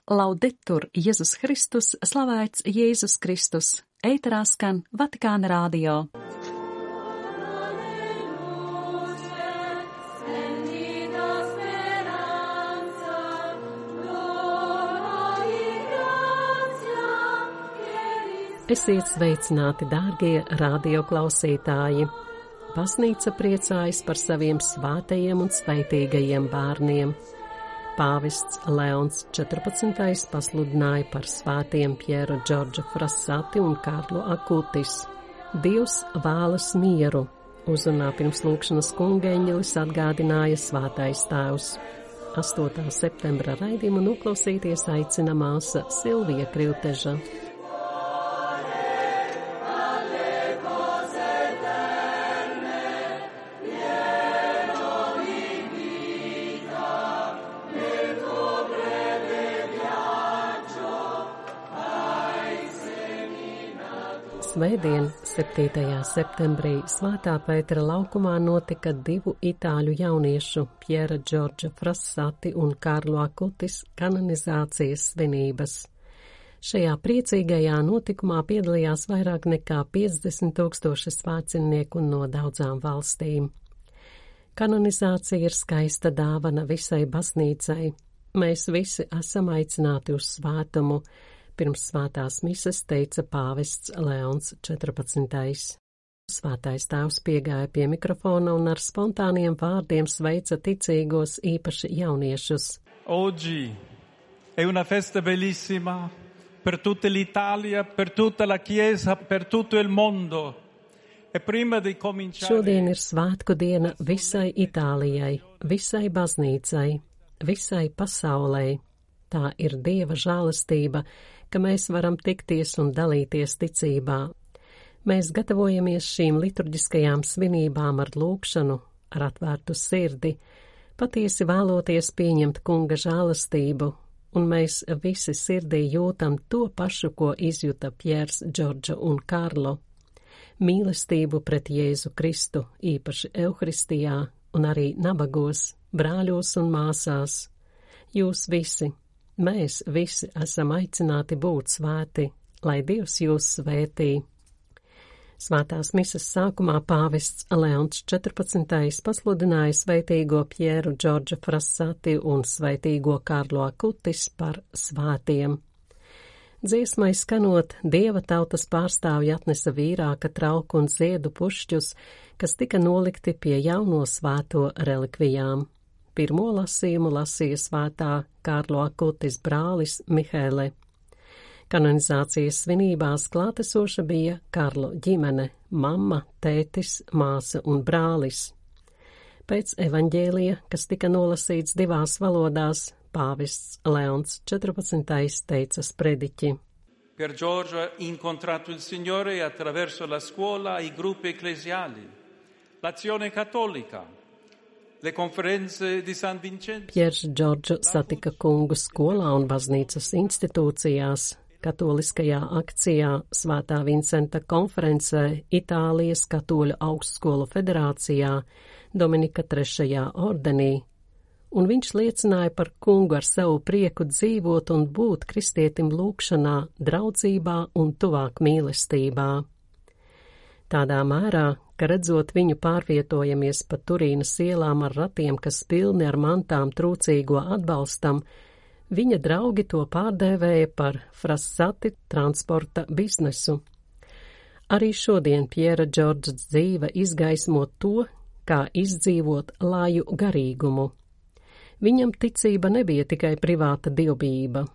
Laudetur Jēzus Kristus, slavēts Jēzus Kristus, ēterā skan Vatikāna radio. Esiet sveicināti, dārgie radioklausītāji! Baznīca priecājas par saviem svētajiem un sveitīgajiem bērniem. Pāvests Leons 14. pasludināja par svētiem Pjēru Džordžu Frassati un Karlu Akutis. Dievs vēlas mieru, uzrunā pirms lūkšanas kungeņģelis atgādināja svētais tēvs. 8. septembra raidījumu noklausīties aicina māsa Silvija Krivteža. Svētdien, 7. septembrī, Svētā Pētera laukumā notika divu itāļu jauniešu, Pjēra Džordža Frassati un Karlo Akutis, kanonizācijas svinības. Šajā priecīgajā notikumā piedalījās vairāk nekā 50,000 svētceļnieku no daudzām valstīm. Kanonizācija ir skaista dāvana visai baznīcai. Mēs visi esam aicināti uz svētumu. Pirms svētās mises teica pāvests Leons 14. Svētais tēvs piegāja pie mikrofona un ar spontāniem vārdiem sveica ticīgos, īpaši jauniešus. Oggi è una festa bellissima per tutta l'Italia, per tutta la Chiesa, per tutto il mondo. E prima di cominciare... Šodien ir svētku diena visai Itālijai, visai baznīcai, visai pasaulei. Tā ir Dieva žēlastība, ka mēs varam tikties un dalīties ticībā. Mēs gatavojamies šīm liturģiskajām svinībām ar lūgšanu, ar atvērtu sirdi, patiesi vēloties pieņemt kunga žēlastību, un mēs visi sirdī jūtam to pašu, ko izjuta Pjērs, Džordža un Karlo. Mīlestību pret Jēzu Kristu, īpaši Euharistijā un arī nabagos, brāļos un māsās. Jūs visi, mēs visi esam aicināti būt svēti, lai Dievs jūs svētī. Svētās mises sākumā pāvests Leons 14. pasludināja sveitīgo Pjēru Džordža Frassati un sveitīgo Karlo Akutis par svētiem. Dziesmai skanot, Dieva tautas pārstāvji atnesa vīrāka trauku un ziedu pušķus, kas tika nolikti pie jauno svēto relikvijām. Pirmo lasījumu lasīja svētā Karlo Akutis brālis Mihēle. Kanonizācijas svinībās klātesoša bija Karlo ģimene, mamma, tētis, māsa un brālis. Pēc evaņģēlija, kas tika nolasīts divās valodās, pāvests Leons 14. teica sprediķi. Per Giorgio ha incontrato il Signore attraverso la scuola, i gruppi ecclesiali, l'azione cattolica. Pjērs Džordžu satika kungu skolā un baznīcas institūcijās, katoliskajā akcijā, Svētā Vincenta konferencē, Itālijas katoļu augstskolu federācijā, Dominika III. Ordenī, un viņš liecināja par kungu ar savu prieku dzīvot un būt kristietim lūgšanā, draudzībā un tuvāk mīlestībā. Tādā mērā, ka redzot viņu pārvietojamies pa Turīnas ielām ar ratiem, kas pilni ar mantām trūcīgo atbalstam, viņa draugi to pārdēvēja par Frassati transporta biznesu. Arī šodien Pjēra Džordža dzīve izgaismo to, kā izdzīvot laju garīgumu. Viņam ticība nebija tikai privāta dievbijība.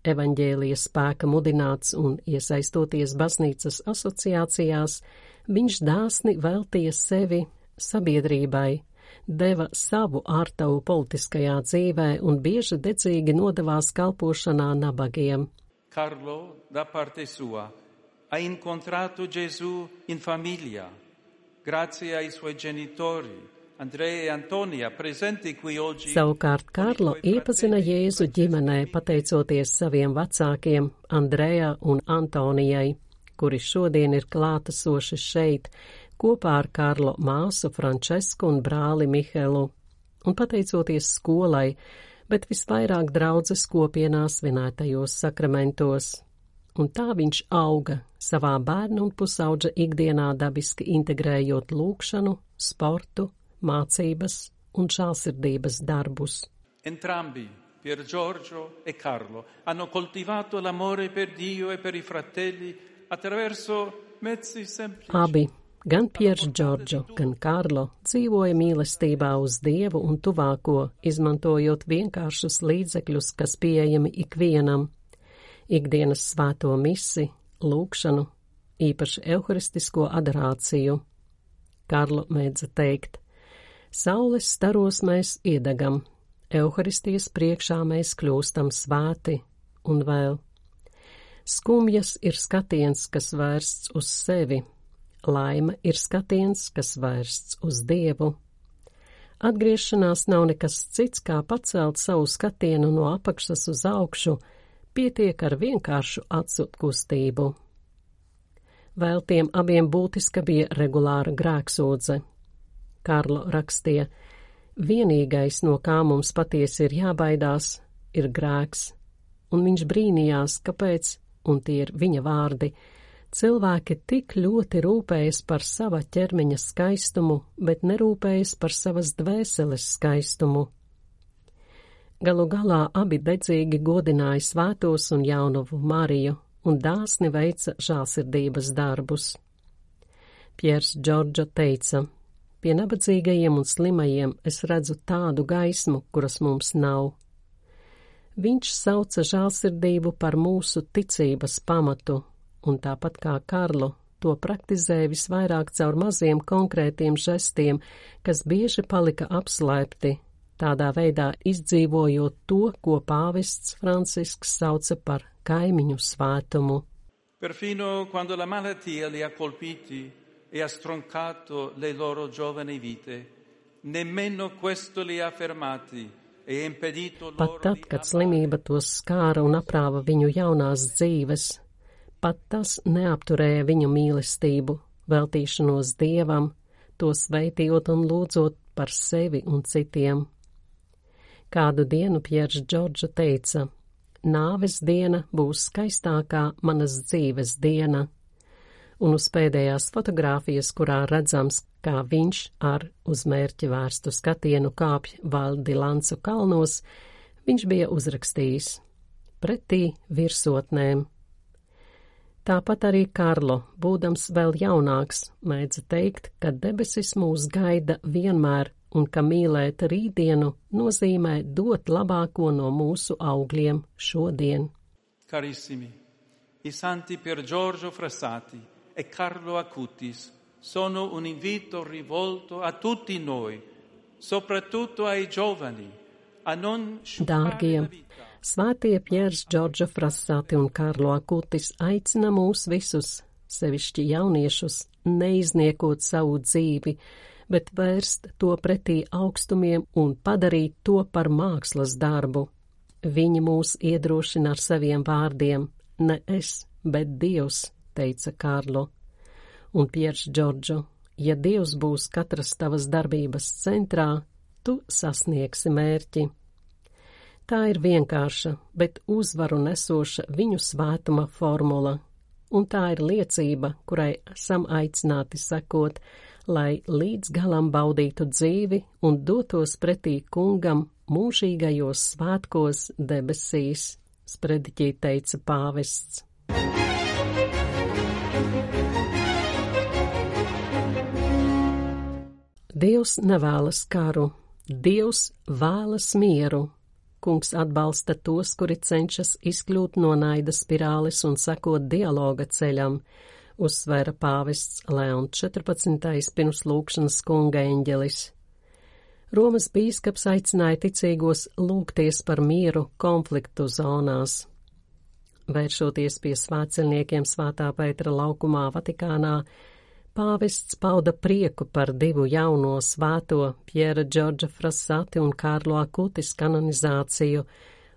Evaņģēlija spēka mudināts un iesaistoties baznīcas asociācijās, viņš dāsni veltīja sevi sabiedrībai, deva savu ārtavu politiskajā dzīvē un bieži dedzīgi nodevās kalpošanā nabagiem. Carlo, da parte sua, ha incontrato Gesù in famiglia, grazie ai suoi genitori, Andrea e Antonia, presenti qui oggi. Savukārt Karlo iepazina Jēzu ģimenē, pateicoties saviem vecākiem Andreja un Antonijai, kuri šodien ir klātesoši šeit, kopā ar Karlo māsu Francesku un brāli Mihelu, un pateicoties skolai, bet visvairāk draudzes kopienā svinētajos sakramentos. Un tā viņš auga savā bērnu un pusaudža ikdienā dabiski integrējot lūgšanu, sportu, mācības un žēlsirdības darbus. Entrambi, Pier Giorgio e Carlo, hanno coltivato l'amore per Dio e per i fratelli attraverso mezzi semplici. Abi, gan Piers Giorgio, gan Karlo, dzīvoja mīlestībā uz Dievu un tuvāko, izmantojot vienkāršus līdzekļus, kas pieejami ikvienam. Ikdienas svēto misi, lūgšanu, īpaši euharistisko adorāciju. Karlo mēdza teikt: saules staros mēs iedegam, euharistijas priekšā mēs kļūstam svēti, un vēl: skumjas ir skatiens, kas vērsts uz sevi, laime ir skatiens, kas vērsts uz Dievu. Atgriešanās nav nekas cits, kā pacelt savu skatienu no apakšas uz augšu, pietiek ar vienkāršu acu kustību. Vēl tiem abiem būtiska bija regulāra grēksūdze. Karlo rakstīja: vienīgais, no kā mums patiesi ir jābaidās, ir grēks, un viņš brīnījās, kāpēc, un tie ir viņa vārdi, cilvēki tik ļoti rūpējas par sava ķermeņa skaistumu, bet nerūpējas par savas dvēseles skaistumu. Galu galā abi dedzīgi godināja svētos un jaunavu Mariju un dāsni veica žēlsirdības darbus. Piers Giorgio teica: pie nabadzīgajiem un slimajiem es redzu tādu gaismu, kuras mums nav. Viņš sauca žēlsirdību par mūsu ticības pamatu, un tāpat kā Karlo, to praktizēja visvairāk caur maziem konkrētiem žestiem, kas bieži palika apslēpti, tādā veidā izdzīvojot to, ko pāvests Francisks sauca par kaimiņu svētumu. Perfino quando la malattia li ha colpiti e ha stroncato le loro giovani vite, nemmeno questo li ha fermati e impedito loro. Pat tad, kad slimība tos skāra un aprāva viņu jaunās dzīves, pat tas neapturēja viņu mīlestību, veltīšanos Dievam, to sveitījot un lūdzot par sevi un citiem. Kādu dienu Piers Giorgio teica: nāves diena būs skaistākā manas dzīves diena, un uz pēdējās fotogrāfijas, kurā redzams, kā viņš ar uz mērķi vērstu skatienu kāpj Val di Lancu kalnos, viņš bija uzrakstījis: pretī virsotnēm. Tāpat arī Karlo, būdams vēl jaunāks, mēdza teikt, ka debesis mūs gaida vienmēr, un ka mīlēt rītdienu nozīmē dot labāko no mūsu augļiem šodien. Carissimi, i santi Pier Giorgio Frassati e Carlo Acutis sono un invito rivolto a tutti noi, soprattutto ai giovani, a non Dārgie, svētie Piers Giorgio Frassati un Karlo Acutis aicina mūs visus, sevišķi jauniešus, neizniekot savu dzīvi, bet vērst to pretī augstumiem un padarīt to par mākslas darbu. Viņi mūs iedrošina ar saviem vārdiem: ne es, bet Dievs, teica Karlo. Un Piers Giorgio: ja Dievs būs katras tavas darbības centrā, tu sasniegsi mērķi. Tā ir vienkārša, bet uzvaru nesoša viņu svētuma formula, un tā ir liecība, kurai esam aicināti sekot, lai līdz galam baudītu dzīvi un dotos pretī kungam mūžīgajos svētkos debesīs, sprediķī teica pāvests. Dievs nevēlas karu, Dievs vēlas mieru. Kungs atbalsta tos, kuri cenšas izkļūt no naida spirāles un sekot dialoga ceļam, uzsvēra pāvests Leons 14. pirms lūgšanas kunga eņģelis. Romas bīskaps aicināja ticīgos lūgties par mieru konfliktu zonās. Vēršoties pie svētceļniekiem Svētā Pētera laukumā Vatikānā, pāvests pauda prieku par divu jauno svēto Piera Giorgio Frassati un Karlo Acutis kanonizāciju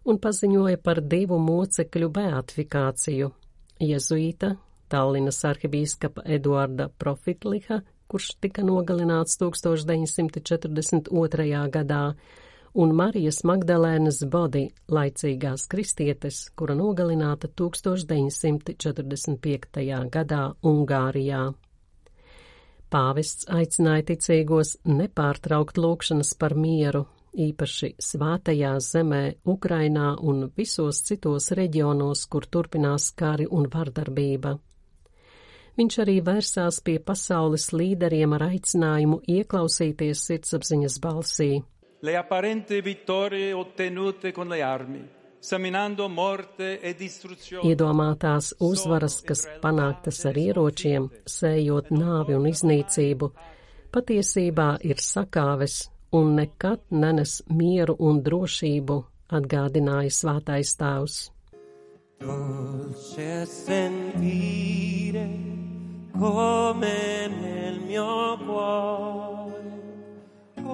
un paziņoja par divu mocekļu beatifikāciju – jezuīta, Tallinas arhibīskapa Eduarda Profitliha, kurš tika nogalināts 1942. gadā, un Marijas Magdalēnas Bodi, laicīgās kristietes, kura nogalināta 1945. gadā Ungārijā. Pāvests aicināja ticīgos nepārtraukt lūgšanas par mieru, īpaši svētajā zemē, Ukrainā un visos citos reģionos, kur turpinās kari un vardarbība. Viņš arī vērsās pie pasaules līderiem ar aicinājumu ieklausīties sirdsapziņas balsī. Le apparenti vittorie ottenute con le armi, seminando morte e distruzione. Iedomātās uzvaras, kas panāktas ar ieročiem, sējot nāvi un iznīcību, patiesībā ir sakāves un nekad nenes mieru un drošību, atgādināja svētais tēvs. Dolce sentire come nel mio cuore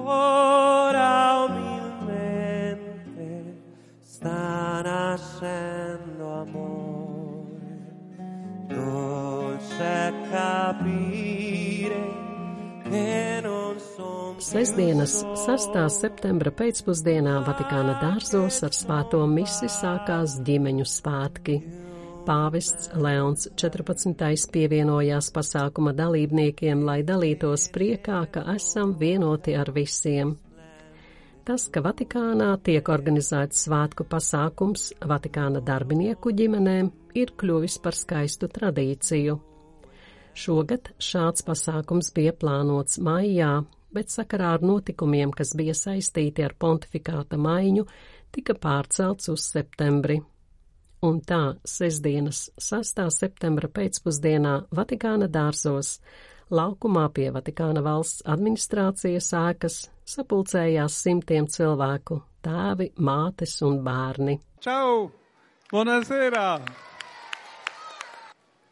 ora umilmente sta nascendo amore. Dolce capire che non son. Sestdienas 6. septembra pēcpusdienā Vatikāna dārzos ar svēto misi sākās ģimeņu svētki. Pāvests Leons 14. pievienojās pasākuma dalībniekiem, lai dalītos priekā, ka esam vienoti ar visiem. Tas, ka Vatikānā tiek organizēts svētku pasākums Vatikāna darbinieku ģimenēm, ir kļuvis par skaistu tradīciju. Šogad šāds pasākums bija plānots maijā, bet sakarā ar notikumiem, kas bija saistīti ar pontifikāta maiņu, tika pārcelts uz septembri. Un tā sestdienas 6. septembra pēcpusdienā Vatikāna dārzos, laukumā pie Vatikāna valsts administrācijas ēkas, sapulcējās simtiem cilvēku, tēvi, mātes un bērni. Ciao! Buonasera!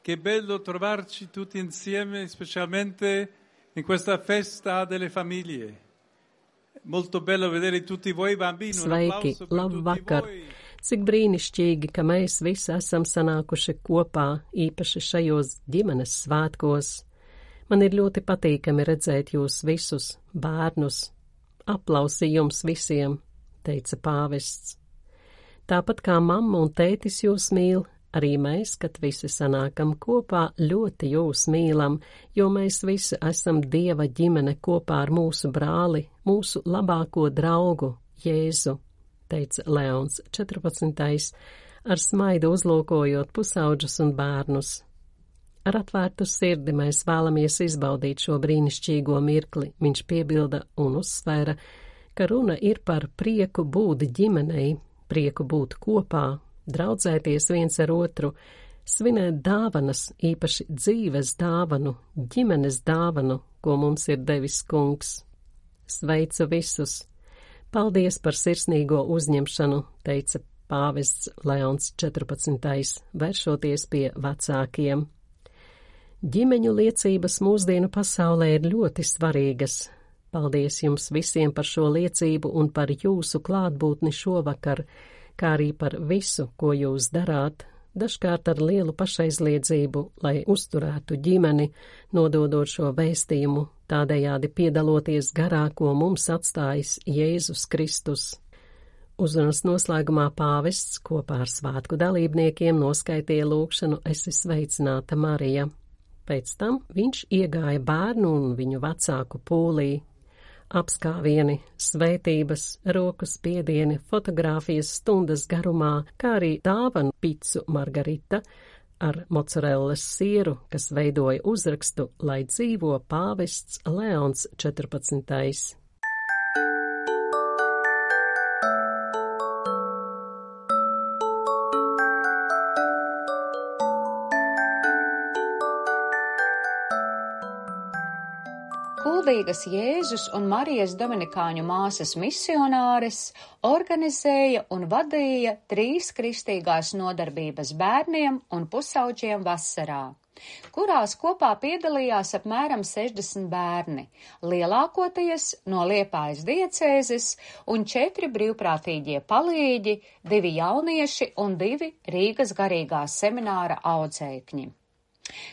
Che bello trovarci tutti insieme, specialmente in questa festa delle famiglie. Molto bello vedere tutti voi bambini. Sveiki, labvakar! Cik brīnišķīgi, ka mēs visi esam sanākuši kopā, īpaši šajos ģimenes svētkos. Man ir ļoti patīkami redzēt jūs visus, bērnus. Aplausi jums visiem, teica pāvests. Tāpat kā mamma un tētis jūs mīl, arī mēs, kad visi sanākam kopā, ļoti jūs mīlam, jo mēs visi esam Dieva ģimene kopā ar mūsu brāli, mūsu labāko draugu, Jēzu, teica Leons 14. ar smaidu uzlūkojot pusauģus un bērnus. Ar atvērtu sirdi mēs vēlamies izbaudīt šo brīnišķīgo mirkli, viņš piebilda un uzsvēra, ka runa ir par prieku būt ģimenei, prieku būt kopā, draudzēties viens ar otru, svinēt dāvanas, īpaši dzīves dāvanu, ģimenes dāvanu, ko mums ir devis Kungs. Sveicu visus! Paldies par sirsnīgo uzņemšanu, teica pāvests Leons 14. vēršoties pie vecākiem. Ģimeņu liecības mūsdienu pasaulē ir ļoti svarīgas. Paldies jums visiem par šo liecību un par jūsu klātbūtni šovakar, kā arī par visu, ko jūs darāt, dažkārt ar lielu pašaizliedzību, lai uzturētu ģimeni, nododot šo vēstījumu, tādējādi piedaloties garā, ko mums atstājis Jēzus Kristus. Uzrunas noslēgumā pāvests kopā ar svētku dalībniekiem noskaitīja lūgšanu Esi sveicināta, Marija. Pēc tam viņš iegāja bērnu un viņu vecāku pūlī. Apskāvieni, svētības, roku spiedieni, fotogrāfijas stundas garumā, kā arī dāvanu picu margarita ar mocarellas sieru, kas veidoja uzrakstu, lai dzīvo pāvests Leons 14. Kuldīgas Jēzus un Marijas Dominikāņu māsas misionāres organizēja un vadīja 3 kristīgās nodarbības bērniem un pusauģiem vasarā, kurās kopā piedalījās apmēram 60 bērni, lielākoties no Liepājas diecēzes un 4 brīvprātīgie palīģi, 2 jaunieši un 2 Rīgas garīgā semināra audzēkņi.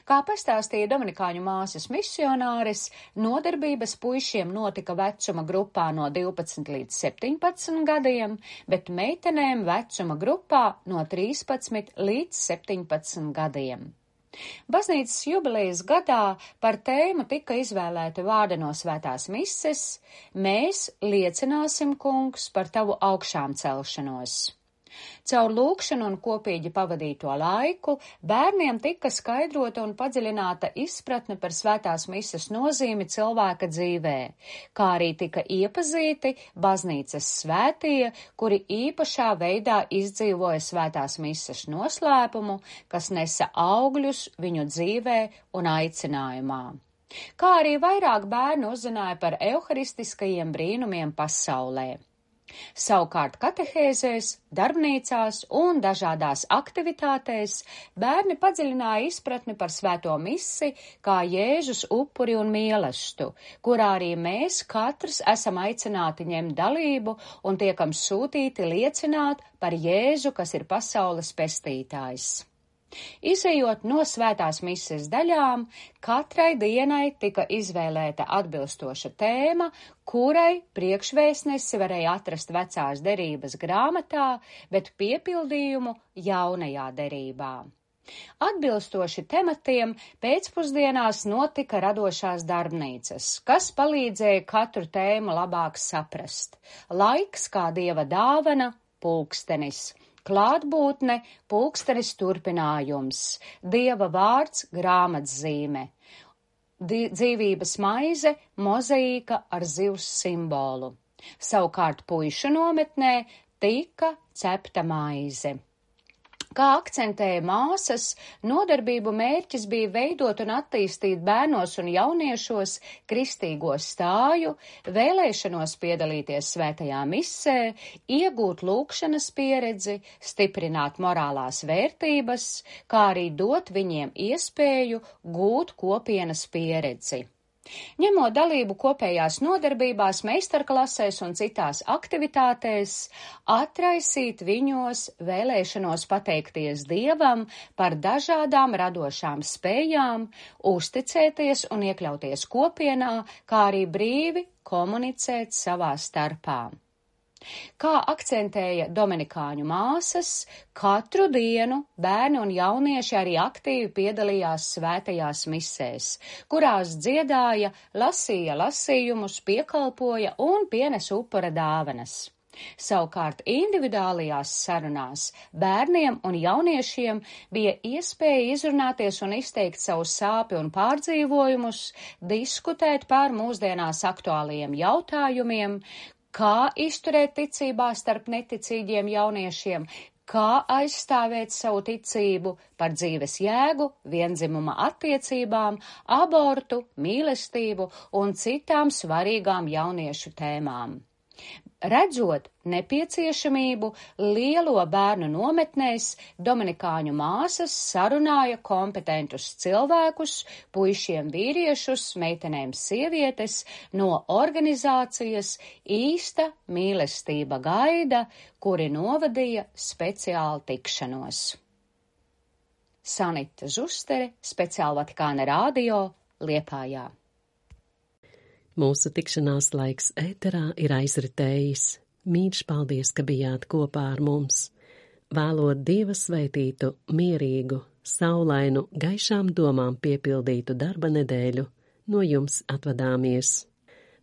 Kā pastāstīja dominikāņu māsas misionāris, nodarbības puišiem notika vecuma grupā no 12 līdz 17 gadiem, bet meitenēm vecuma grupā no 13 līdz 17 gadiem. Baznīcas jubilejas gadā par tēmu tika izvēlēta vārda no svētās mises: Mēs liecināsim, kungs, par tavu augšām celšanos. Caur lūkšanu un kopīgi pavadīto laiku bērniem tika skaidrota un padziļināta izpratne par svētās mises nozīmi cilvēka dzīvē, kā arī tika iepazīti baznīcas svētie, kuri īpašā veidā izdzīvoja svētās mises noslēpumu, kas nesa augļus viņu dzīvē un aicinājumā. Kā arī vairāk bērnu uzzināja par evharistiskajiem brīnumiem pasaulē. Savukārt katehēzēs, darbnīcās un dažādās aktivitātēs bērni padziļināja izpratni par svēto misi kā Jēzus upuri un mīlestību, kurā arī mēs katrs esam aicināti ņemt dalību un tiekam sūtīti liecināt par Jēzu, kas ir pasaules pestītājs. Izejot no svētās mises daļām, katrai dienai tika izvēlēta atbilstoša tēma, kurai priekšvēstnesi varēja atrast vecās derības grāmatā, bet piepildījumu jaunajā derībā. Atbilstoši tematiem pēcpusdienās notika radošās darbnīcas, kas palīdzēja katru tēmu labāk saprast. Laiks kā dieva dāvana, pulkstenis. Klātbūtne, pulkstenis turpinājums, dieva vārds, grāmatzīme, dzīvības maize, mozaīka ar zivs simbolu. Savukārt puišu nometnē tika cepta maize. Kā akcentēja māsas, nodarbību mērķis bija veidot un attīstīt bērnos un jauniešos kristīgo stāju, vēlēšanos piedalīties svētajā misē, iegūt lūkšanas pieredzi, stiprināt morālās vērtības, kā arī dot viņiem iespēju gūt kopienas pieredzi. Ņemot dalību kopējās nodarbībās, meistarklasēs un citās aktivitātēs, atraisīt viņos vēlēšanos pateikties Dievam par dažādām radošām spējām, uzticēties un iekļauties kopienā, kā arī brīvi komunicēt savā starpā. Kā akcentēja dominikāņu māsas, katru dienu bērni un jaunieši arī aktīvi piedalījās svētajās misēs, kurās dziedāja, lasīja lasījumus, piekalpoja un pienesa upura dāvanas. Savukārt individuālajās sarunās bērniem un jauniešiem bija iespēja izrunāties un izteikt savu sāpju un pārdzīvojumus, diskutēt par mūsdienās aktuālajiem jautājumiem, kā izturēt ticībā starp neticīgiem jauniešiem, kā aizstāvēt savu ticību par dzīves jēgu, vienzimuma attiecībām, abortu, mīlestību un citām svarīgām jauniešu tēmām. Redzot nepieciešamību lielo bērnu nometnēs, dominikāņu māsas sarunāja kompetentus cilvēkus, puišiem vīriešus, meitenēm sievietes no organizācijas Īsta mīlestība gaida, kuri novadīja speciālu tikšanos. Sanita Zustere, Speciāli Vatikāna radio, Liepājā. Mūsu tikšanās laiks ēterā ir aizritējis. Mīļš paldies, ka bijāt kopā ar mums. Vēlot Dieva svētītu, mierīgu, saulainu, gaišām domām piepildītu darba nedēļu, no jums atvadāmies.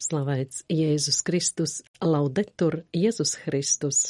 Slavēts Jēzus Kristus, laudetur Jēzus Kristus!